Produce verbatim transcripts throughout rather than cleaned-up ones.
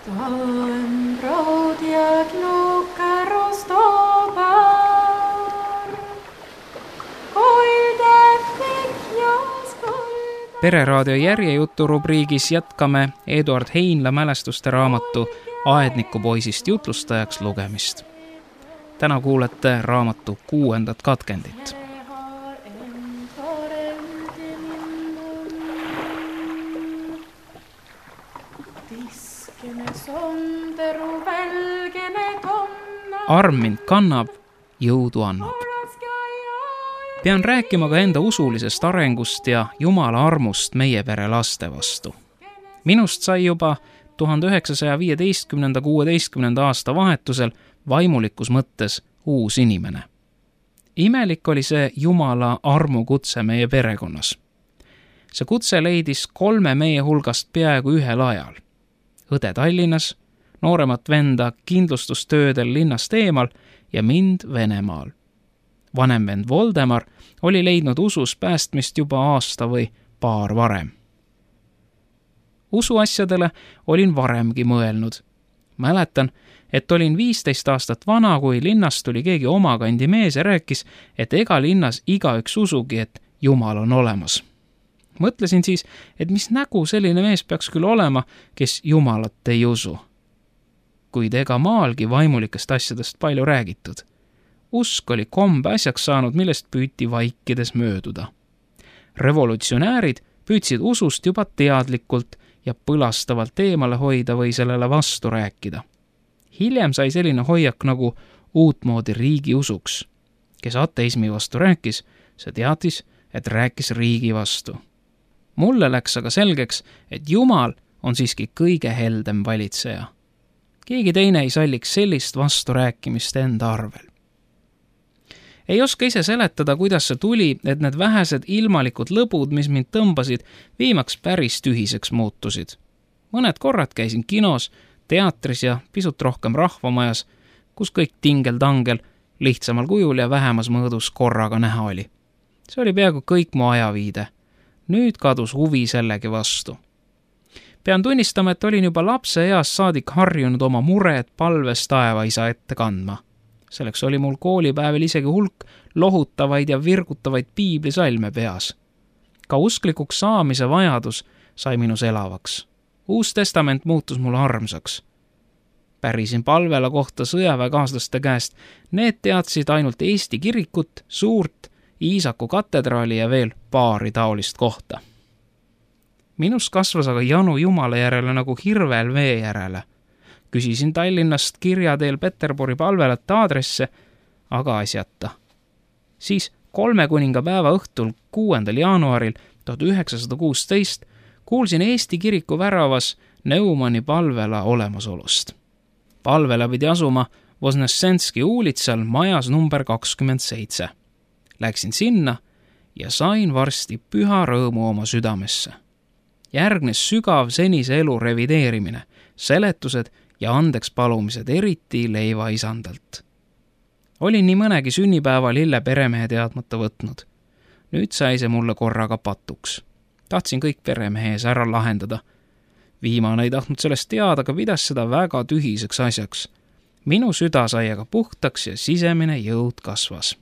Stałem brod jak nuka roztobar, koilde fikjas koilde. Pereraadio järjejutu rubriigis jätkame Eduard Heinla mälestuste raamatu Aedniku poisist jutlustajaks lugemist. Täna kuulete raamatu kuuendat katkendit. Arm mind kannab, jõudu annab. Pean rääkima ka enda usulisest arengust ja Jumala armust meie pere laste vastu. Minust sai juba tuhande üheksasaja viieteistkümnenda kuueteistkümnenda aasta vahetusel vaimulikus mõttes uus inimene. Imelik oli see Jumala armu kutse meie perekonnas. See kutse leidis kolme meie hulgast peaaegu ühel ajal. Õde Tallinnas, nooremat venda kindlustustöödel linnast eemal ja mind Venemaal. Vanem vend Voldemar oli leidnud usus päästmist juba aasta või paar varem. Usuasjadele olin varemgi mõelnud. Mäletan, et olin viisteist aastat vana, kui linnast tuli keegi oma kandi mees ja rääkis, et ega linnas igaüks usugi, et Jumal on olemas. Mõtlesin siis, et mis nägu selline mees peaks küll olema, kes Jumalat ei usu. Kuid ega maalgi vaimulikest asjadest palju räägitud. Usk oli kombe asjaks saanud, millest püüti vaikides mööduda. Revolutsionäärid püüdsid usust juba teadlikult ja põlastavalt eemale hoida või sellele vastu rääkida. Hiljem sai selline hoiak nagu uutmoodi riigi usuks. Kes ateismi vastu rääkis, see teatis, et rääkis riigi vastu. Mulle läks aga selgeks, et Jumal on siiski kõige heldem valitseja. Keegi teine ei salliks sellist vasturääkimist enda arvel. Ei oska ise seletada, kuidas see tuli, et need vähesed ilmalikud lõbud, mis mind tõmbasid, viimaks päris tühiseks muutusid. Mõned korrad käisin kinos, teatris ja pisut rohkem rahvamajas, kus kõik tingel-tangel, lihtsamal kujul ja vähemas mõõdus korraga näha oli. See oli peaaegu kõik mu ajaviide. Nüüd kadus huvi sellegi vastu. Pean tunnistama, et olin juba lapse eas saadik harjunud oma mured palves taevaisa ette kandma. Selleks oli mul koolipäevel isegi hulk lohutavaid ja virgutavaid piiblisalme peas. Ka usklikuks saamise vajadus sai minus elavaks. Uus testament muutus mulle armsaks. Pärisin palvela kohta sõjaväekaaslaste käest. Need teadsid ainult Eesti kirikut, suurt Iisaku katedraali ja veel paari taolist kohta. Minus kasvas aga janu Jumala järele nagu hirvel vee järele. Küsisin Tallinnast kirja teel Peterburi palvelate aadresse, aga asjata. Siis kolme kuninga päeva õhtul kuuendal jaanuaril tuhat üheksasada kuusteist kuulsin Eesti kiriku väravas Neumanni palvela olemasolust. Palvela pidi asuma Vosnessenski uulitsal majas number kakskümmend seitse. Läksin sinna ja sain varsti püha rõõmu oma südamesse. Järgnes sügav senise elu revideerimine, seletused ja andeks palumised eriti leiva isandalt. Olin nii mõnegi sünnipäeva lille peremehe teadmata võtnud. Nüüd sai see mulle korraga patuks. Tahtsin kõik peremehe ees ära lahendada. Viimane ei tahtnud sellest teada, aga pidas seda väga tühiseks asjaks. Minu süda sai aga puhtaks ja sisemine jõud kasvas.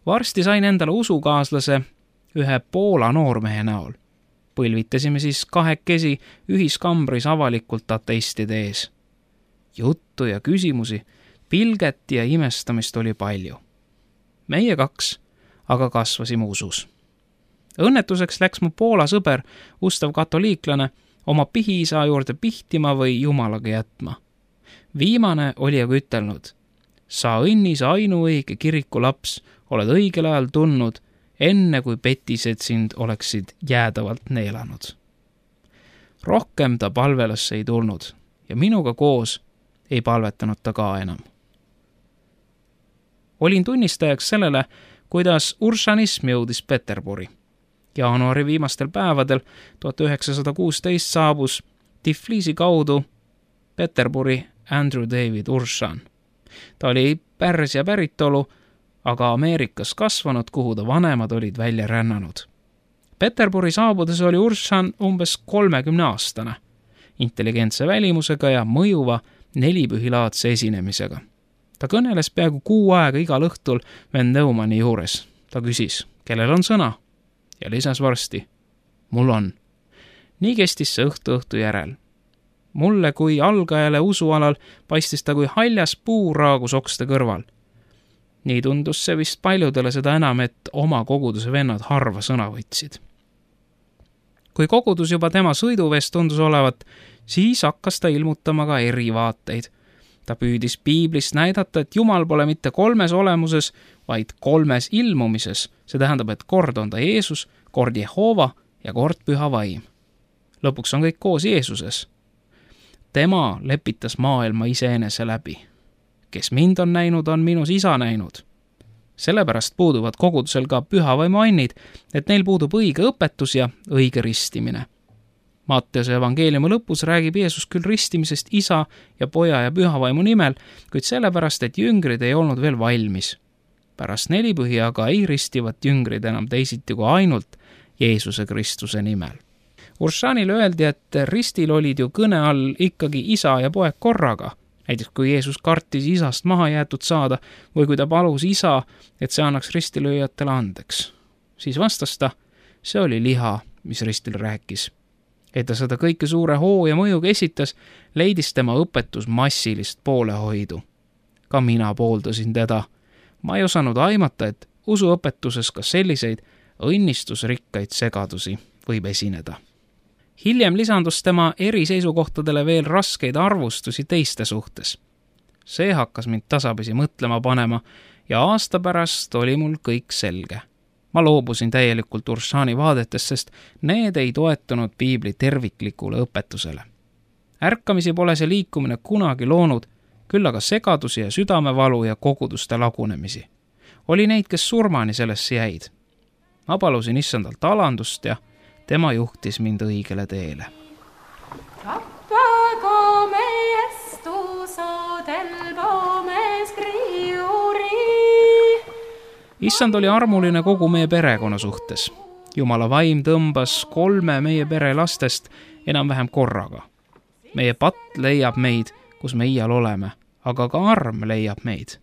Varsti sain endale usukaaslase ühe Poola noormehe näol. Põlvitasime siis kahekesi ühiskambris avalikult ateistide ees. Juttu ja küsimusi, pilget ja imestamist oli palju. Meie kaks aga kasvasime usus. Õnnetuseks läks mu Poola sõber, ustav katoliiklane, oma pihiisa juurde pihtima või Jumalaga jätma. Viimane oli aga ütelnud: sa õnnis ainuõige kiriku laps, oled õigel ajal tulnud, enne kui petised sind oleksid jäädavalt neelanud. Rohkem ta palvelasse ei tulnud ja minuga koos ei palvetanud ta ka enam. Olin tunnistajaks sellele, kuidas uršanism jõudis Peterburi. Jaanuari viimastel päevadel tuhat üheksasada kuusteist saabus Tiflisi kaudu Peterburi Andrew David Uršan. Ta oli Pärsia päritolu, aga Ameerikas kasvanud, kuhu ta vanemad olid välja rännanud. Peterburi saabudes oli Uršan umbes kolmekümne aastane intelligentse välimusega ja mõjuva nelipühilaadse esinemisega. Ta kõneles peaaegu kuu aega igal õhtul vend Neumanni juures. Ta küsis, kellel on sõna? Ja lisas varsti, mul on. Nii kestis see õhtu õhtu järel. Mulle kui algajale usualal paistis ta kui haljas puu raagus okste kõrval. Nii tundus see vist paljudele seda enam, et oma koguduse vennad harva sõna võtsid. Kui kogudus juba tema sõiduvees tundus olevat, siis hakkas ta ilmutama ka erivaateid. Ta püüdis piiblist näidata, et Jumal pole mitte kolmes olemuses, vaid kolmes ilmumises. See tähendab, et kord on ta Jeesus, kord Jehova ja kord Püha Vaim. Lõpuks on kõik koos Jeesuses. Tema lepitas maailma iseenese läbi. Kes mind on näinud, on minus isa näinud. Sellepärast puuduvad kogudusel ka Püha Vaimu annid, et neil puudub õige õpetus ja õige ristimine. Matteuse evangeeliumi lõpus räägib Jeesus küll ristimisest isa ja poja ja Püha Vaimu nimel, kuid sellepärast, et jüngrid ei olnud veel valmis. Pärast nelipühi aga ei ristivat jüngrid enam teisiti kui ainult Jeesuse Kristuse nimel. Uršanile öeldi, et ristil olid ju kõne all ikkagi isa ja poeg korraga. Näiteks kui Jeesus kartis isast maha jäetud saada või kui ta palus isa, et see annaks ristilööjatele andeks. Siis vastas ta, see oli liha, mis ristil rääkis. Et ta seda kõike suure hoo ja mõjuga esitas, leidis tema õpetus massilist poolehoidu. Ka mina pooldasin teda. Ma ei osanud aimata, et usuõpetuses ka selliseid õnnistusrikkaid segadusi võib esineda. Hiljem lisandus tema eri seisukohtadele veel raskeid arvustusi teiste suhtes. See hakkas mind tasapisi mõtlema panema ja aasta pärast oli mul kõik selge. Ma loobusin täielikult Uršani vaadetest, sest need ei toetunud piibli terviklikule õpetusele. Ärkamisi pole see liikumine kunagi loonud, küll aga segadusi ja südamevalu ja koguduste lagunemisi. Oli neid, kes surmani sellesse jäid. Ma palusin issandalt alandust ja tema juhtis mind õigele teele. Tappago meestuso del pomes criuri. Issand oli armuline kogu meie perekonna suhtes. Jumala vaim tõmbas kolme meie pere lastest enam-vähem korraga. Meie patt leiab meid, kus me iial oleme, aga ka arm leiab meid.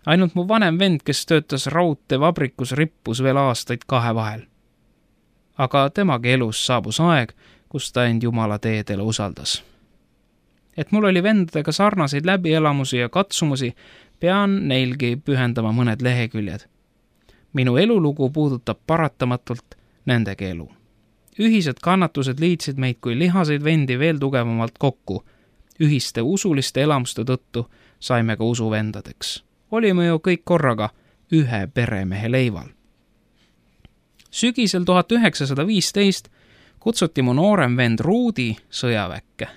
Ainult mu vanem vend, kes töötas raudteevabrikus, rippus veel aastaid kahe vahel. Aga temagi elus saabus aeg, kus ta end Jumala teedele usaldas. Et mul oli vendadega sarnaseid läbielamusi ja katsumusi, pean neilgi pühendama mõned leheküljed. Minu elulugu puudutab paratamatult nendegi elu. Ühised kannatused liitsid meid kui lihaseid vendi veel tugevamalt kokku. Ühiste usuliste elamuste tõttu saime ka usuvendadeks. Olime ju kõik korraga ühe peremehe leival. Sügisel tuhat üheksasada viisteist kutsuti mu noorem vend Ruudi sõjaväkke.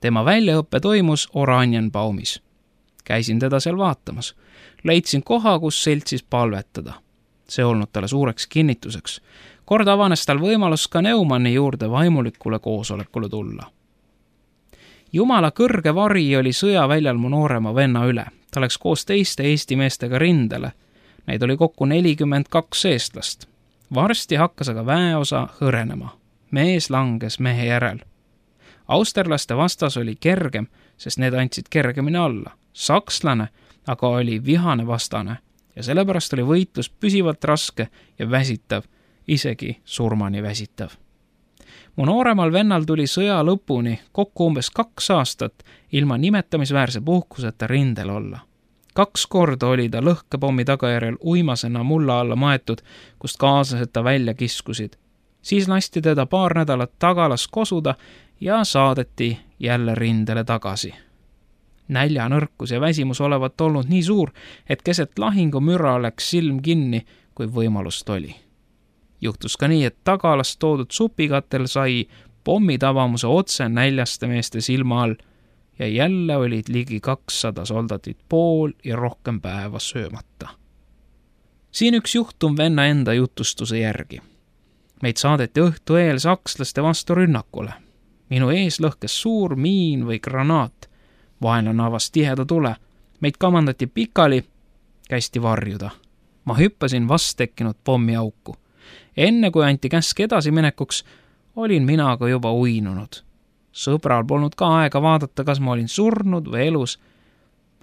Tema väljaõppe toimus Oranienbaumis. Käisin teda seal vaatamas. Leidsin koha, kus seltsis palvetada. See olnud talle suureks kinnituseks. Kord avanes tal võimalus ka Neumanni juurde vaimulikule koosolekule tulla. Jumala kõrge vari oli sõjaväljal mu noorema venna üle. Ta läks koos teiste Eesti meestega rindele. Neid oli kokku nelikümmend kaks eestlast. Varsti hakkas aga väeosa hõrenema. Mees langes mehe järel. Austerlaste vastas oli kergem, sest need andsid kergemini alla. Sakslane aga oli vihane vastane ja sellepärast oli võitlus püsivalt raske ja väsitav, isegi surmani väsitav. Mu nooremal vennal tuli sõja lõpuni kokku umbes kaks aastat ilma nimetamisväärse puhkuseta rindel olla. Kaks korda oli ta lõhkepommi tagajärjel uimasena mulla alla maetud, kust kaaslased ta välja kiskusid. Siis lasti teda paar nädalat tagalas kosuda ja saadeti jälle rindele tagasi. Näljanõrkus ja väsimus olevat olnud nii suur, et keset lahingu müra läks silm kinni, kui võimalust oli. Juhtus ka nii, et tagalast toodud supikatel sai pommitavamuse otse näljaste meeste silma all ja jälle olid ligi kakssada soldatit pool ja rohkem päeva söömata. Siin üks juhtum venna enda jutustuse järgi. Meid saadeti õhtu eel sakslaste vastu rünnakule. Minu ees lõhkes suur miin või granaat. Vaenlane avas tiheda tule. Meid kamandati pikali, kästi varjuda. Ma hüppasin vast tekkinud pommiauku. Enne kui anti käsk edasiminekuks, olin mina aga juba uinunud. Sõbral polnud ka aega vaadata, kas ma olin surnud või elus.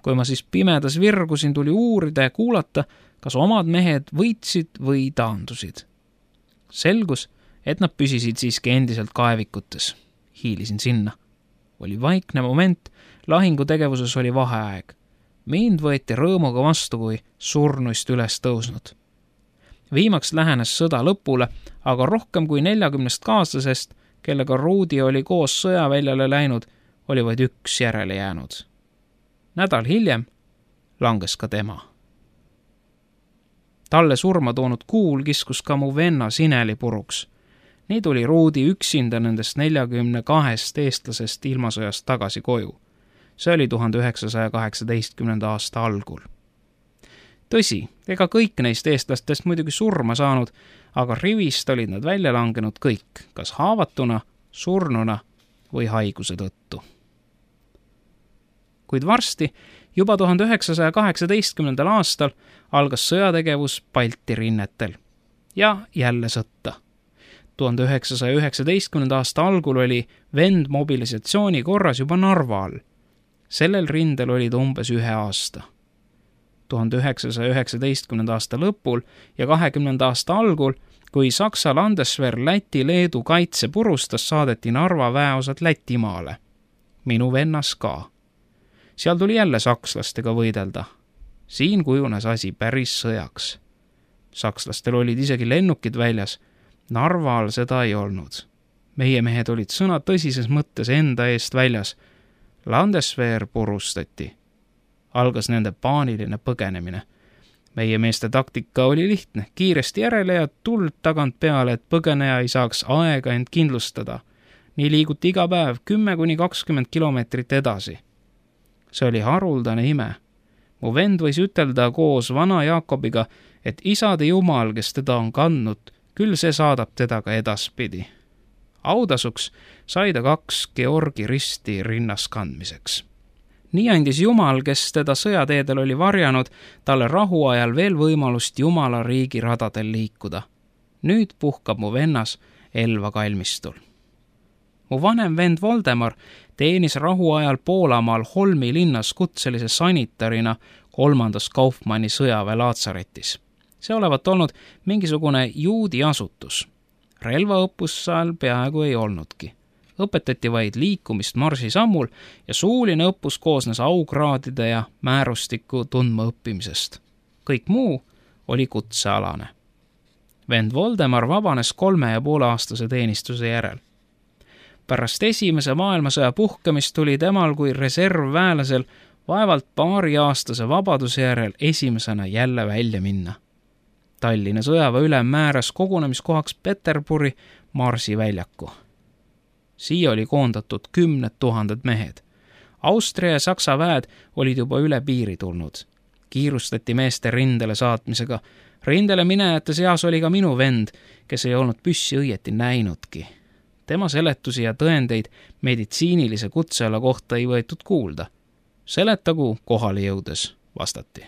Kui ma siis pimedas virgusin, tuli uurida ja kuulata, kas omad mehed võitsid või taandusid. Selgus, et nad püsisid siiski endiselt kaevikutes. Hiilisin sinna. Oli vaikne moment, lahingutegevuses oli vaheaeg. Mind võeti rõõmuga vastu, kui surnuist üles tõusnud. Viimaks lähenes sõda lõpule, aga rohkem kui neljakümnest kaaslasest, kellega Ruudi oli koos sõjaväljale läinud, oli vaid üks järele jäänud. Nädal hiljem langes ka tema. Talle surma toonud kuul kiskus ka mu venna Sineli puruks. Nii tuli Ruudi üksinda nendest neljakümne kahest eestlasest ilmasõjast tagasi koju. See oli tuhande üheksasaja kaheksateistkümnenda aasta algul. Tõsi, ega kõik neist eestlastest muidugi surma saanud, aga rivist olid nad välja langenud kõik, kas haavatuna, surnuna või haiguse tõttu. Kuid varsti, juba tuhande üheksasaja kaheksateistkümnendal aastal, algas sõjategevus Balti rinnetel. Ja jälle sõtta. tuhande üheksasaja üheksateistkümnenda aasta algul oli vend mobilisatsiooni korras juba Narva all. Sellel rindel olid umbes ühe aasta. tuhande üheksasaja üheksateistkümnenda aasta lõpul ja kahekümnenda aasta algul, kui Saksa Landeswehr Läti-Leedu kaitse purustas, saadeti Narva väeosad Lätimaale. Minu vennas ka. Seal tuli jälle sakslastega võidelda. Siin kujunes asi päris sõjaks. Sakslastel olid isegi lennukid väljas. Narval seda ei olnud. Meie mehed olid sõna tõsises mõttes enda eest väljas. Landeswehr purustati. Algas nende paaniline põgenemine. Meie meeste taktika oli lihtne. Kiiresti järele ja tuld tagant peale, et põgeneja ei saaks aega end kindlustada. Nii liiguti iga päev kümme kuni kakskümmend kilomeetrit edasi. See oli haruldane ime. Mu vend võis ütelda koos vana Jaakobiga, et isade Jumal, kes teda on kandnud, küll see saadab teda ka edaspidi. Autasuks sai ta kaks Georgi risti rinnas kandmiseks. Nii andis Jumal, kes teda sõjateedel oli varjanud, talle rahuajal veel võimalust Jumala riigi radadel liikuda. Nüüd puhkab mu vennas Elva kalmistul. Mu vanem vend Voldemar teenis rahuajal Poolamaal Holmi linnas kutselise sanitarina kolmandas Kaufmanni sõjaväe laatsaretis. See olevat olnud mingisugune juudi asutus. Relvaõppus seal peaaegu ei olnudki. Õpetati vaid liikumist marsisammul ja suuline õppus koosnes aukraadide ja määrustiku tundma õppimisest. Kõik muu oli kutsealane. Vend Voldemar vabanes kolme ja poole aastase teenistuse järel. Pärast esimese maailmasõja puhkemist tuli temal kui reservväelasel vaevalt paari aastase vabaduse järel esimesena jälle välja minna. Tallinna sõjaväe ülem määras kogunemiskohaks Peterburi Marsi väljaku. Siia oli koondatud kümned tuhanded mehed. Austria ja Saksa väed olid juba üle piiri tulnud. Kiirustati meeste rindele saatmisega. Rindele minejate seas oli ka minu vend, kes ei olnud püssi õieti näinudki. Tema seletusi ja tõendeid meditsiinilise kutseala kohta ei võetud kuulda. Seletagu kohale jõudes, vastati.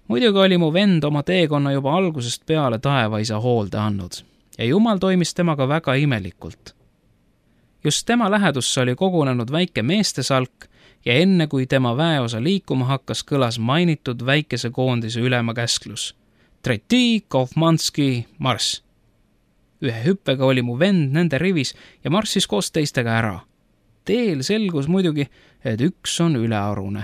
Muidugi oli mu vend oma teekonna juba algusest peale taevaisa hoolde andnud ja Jumal toimis temaga väga imelikult. Just tema lähedusse oli kogunenud väike meestesalk ja enne kui tema väeosa liikuma hakkas, kõlas mainitud väikese koondise ülema käsklus. Treti, Kaufmanski, marss! Ühe hüppega oli mu vend nende rivis ja marssis koos teistega ära. Teel selgus muidugi, et üks on ülearune.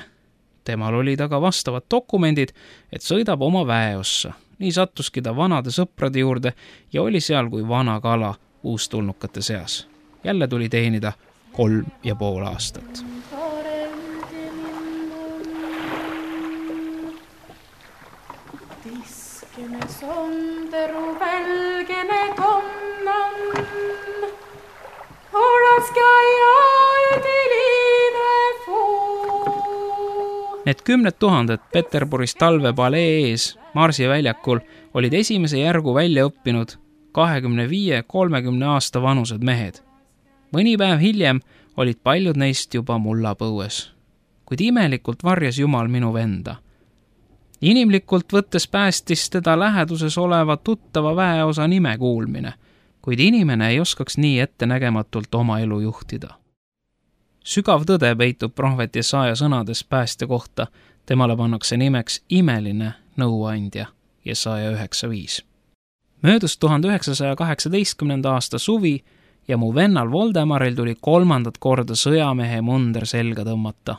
Temal oli taga vastavad dokumendid, et sõidab oma väeossa. Nii sattuski ta vanade sõprade juurde ja oli seal kui vana kala uustulnukate seas. Jälle tuli teenida kolm ja pool aastat. Tiskene sonderu välgene tonnan, olaska ja üdilive fuu. Need kümned tuhanded Peterburis talvepalee ees Marsi väljakul olid esimese järgu välja õppinud kahekümne viie kolmekümne aasta vanused mehed. Mõni päev hiljem olid paljud neist juba mullapõues, kuid imelikult varjas Jumal minu venda. Inimlikult võttes päästis teda läheduses oleva tuttava väeosa nime kuulmine. kuid inimene ei oskaks nii ettenägematult oma elu juhtida. Sügav tõde peitub prohvet Jesaja sõnades päästja kohta, temale pannakse nimeks imeline nõuandja, Jesaja üheksa viis. Möödus tuhande üheksasaja kaheksateistkümnenda aasta suvi ja mu vennal Voldemaril tuli kolmandat korda sõjamehe munder selga tõmmata.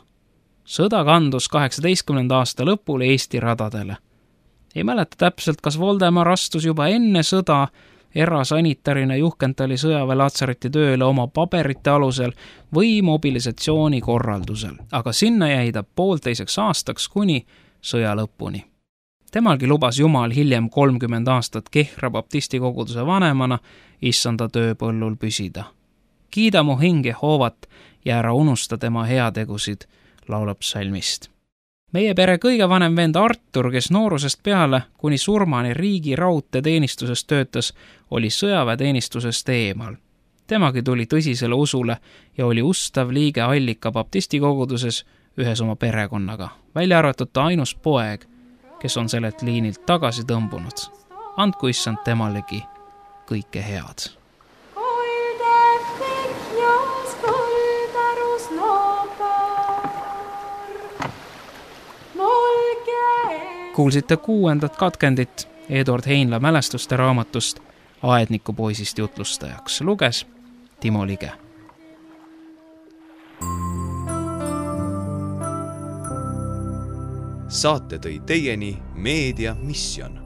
Sõda kandus kaheksateistkümnenda aasta lõpul Eesti radadele. Ei mäleta täpselt, kas Voldemar astus juba enne sõda erasanitarina Juhkentali sõjaväe Latsareti tööle oma paberite alusel või mobilisatsiooni korraldusel, aga sinna jäi ta poolteiseks aastaks kuni sõja lõpuni. Temalgi lubas Jumal hiljem kolmkümmend aastat Kehra baptisti koguduse vanemana issanda tööpõllul püsida. Kiida mu hing Jehovat ja ära unusta tema heategusid, laulab psalmist. Meie pere kõige vanem vend Artur, kes noorusest peale kuni surmani riigi raudteeteenistuses töötas, oli sõjaväeteenistusest eemal. Temagi tuli tõsisele usule ja oli ustav liige Allika baptisti koguduses ühes oma perekonnaga, välja arvatud ta ainus poeg, kes on sellelt liinilt tagasi tõmbunud. Andku issand temalegi kõike head. Kuulsite kuuendat katkendit Eduard Heinla mälestuste raamatust Aedniku poisist jutlustajaks. Luges Timo Lige. Saate tõi teieni Meedia Mission.